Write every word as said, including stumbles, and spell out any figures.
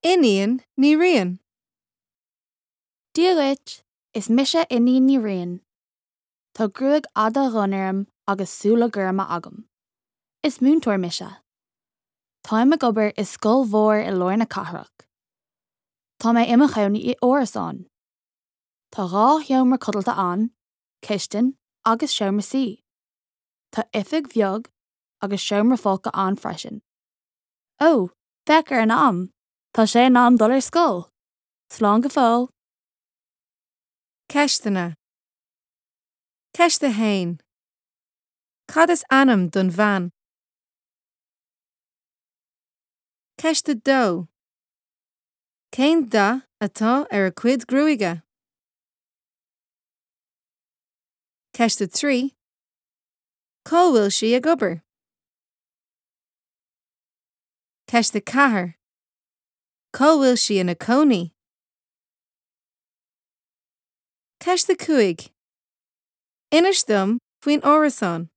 Iníon Ní Riain. Dia dhuit, is mise Iníon Ní Riain. Tá gruaig fhada dhonn orm agus súile gorma agam. Is múinteoir mise. Táim ag obair i scoil mhór i lár na cathrach. Tá mé i mo chónaí i árasán. Tá dhá sheomra codlata ann, cistin agus seomra suí. Tá oifig bheag agus seomra folctha ann freisin. Ó, féach ar an am, Tá sé in am dul ar scoil. Slán go fóill. Ceisteanna. Ceist a haon. Cad is ainm don bhean? Ceist a dó. Cén dath atá ar a cuid gruaige? Ceist a trí. Cá bhfuil sí ag obair? Ceist a ceathair. Cá bhfuil sí ina cónaí? Ceist a cúig. Inis dom faoin árasán.